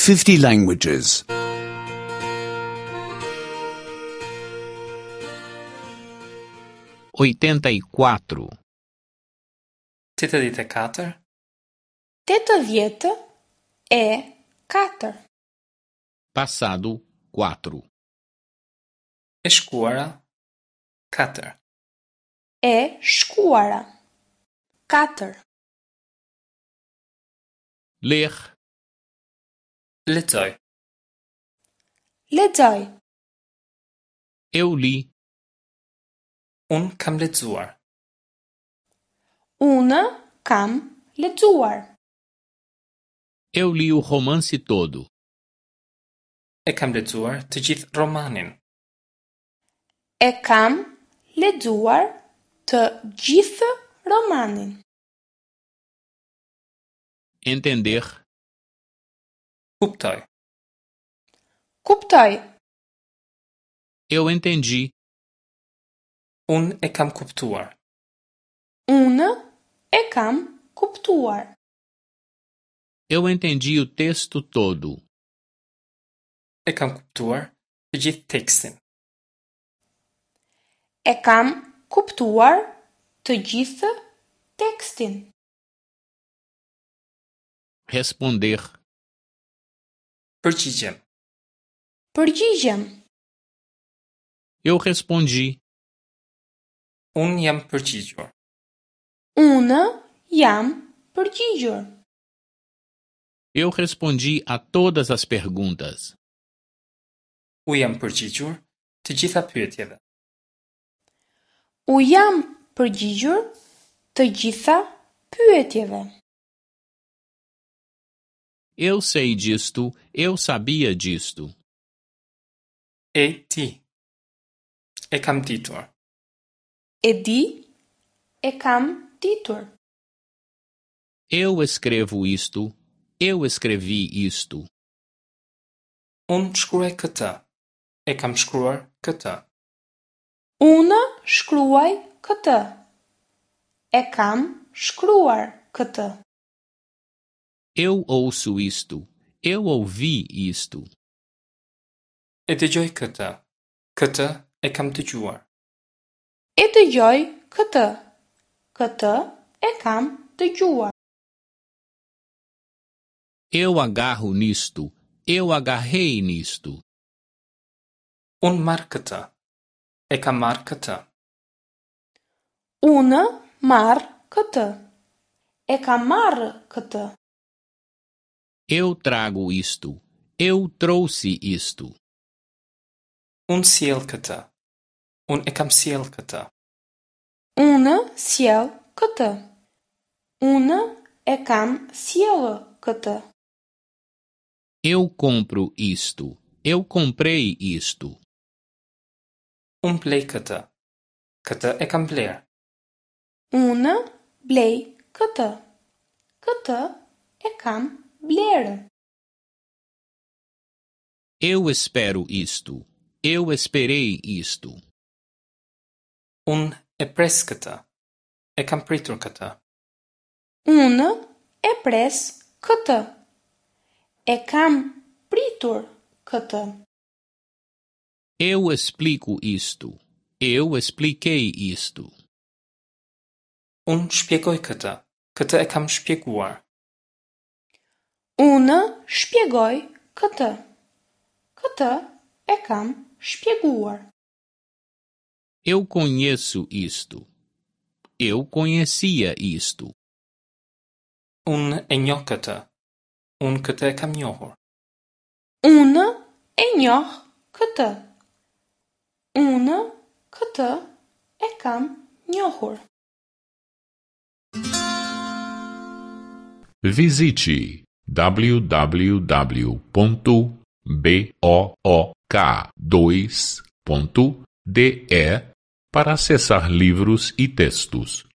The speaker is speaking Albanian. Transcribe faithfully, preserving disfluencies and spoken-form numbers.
fifty languages. oitenta e quatro, Tetëdhjetë e katër, Tetëdhjetë e katër. passado quatro, e shkuara, katër, E shkuara. Katër. ler, lexoj, Lexoj. eu li, unë kam lexuar, Unë kam lexuar. eu li o romance todo, e kam lexuar të gjithë romanin, E kam lexuar të gjithë romanin. entender, kuptoj, Kuptoj. eu entendi, unë e kam kuptuar, Unë e kam kuptuar. eu entendi o texto todo, e kam kuptuar të gjithë tekstin, E kam kuptuar të gjithë tekstin. responder, përgjigjem, Përgjigjem. eu respondi, unë jam përgjigjur, Unë jam përgjigjur. eu respondi a todas as perguntas, u jam përgjigjur të gjitha pyetjeve, U jam përgjigjur të gjitha pyetjeve. eu sei disto, eu sabia disto, e di, e kam ditur, E di, e kam ditur. eu escrevo isto, eu escrevi isto, unë shkruaj këtë, e kam shkruar këtë, Unë shkruaj këtë. E kam shkruar këtë. eu ouço isto, eu ouvi isto, e dëgjoj këtë, këtë e kam dëgjuar, E dëgjoj këtë. Këtë e kam dëgjuar. eu agarro nisto, eu agarrei nisto, unë marr këtë, e kam marrë këtë, Unë marr këtë. E kam marrë këtë. eu trago isto, eu trouxe isto, unë sjell këtë, unë e kam sjell këtë, Unë sjell këtë. Unë e kam sjellë këtë. eu compro isto, eu comprei isto, unë blej këtë, këtë e kam bler, Unë blej këtë. Këtë e kam blerë. eu espero isto, eu esperei isto, unë e pres këtë, e kam pritur këtë, Unë e pres këtë. E kam pritur këtë. eu explico isto, eu expliquei isto, unë shpjegoj këtë, këtë e kam shpjeguar, Unë shpjegoj këtë. Këtë e kam shpjeguar. eu conheço isto, eu conhecia isto, unë e njoh këtë, unë këtë e kam njohur, Unë e njoh këtë. Unë këtë e kam njohur. Visite w w w ponto b o o k dois ponto d e para acessar livros e textos.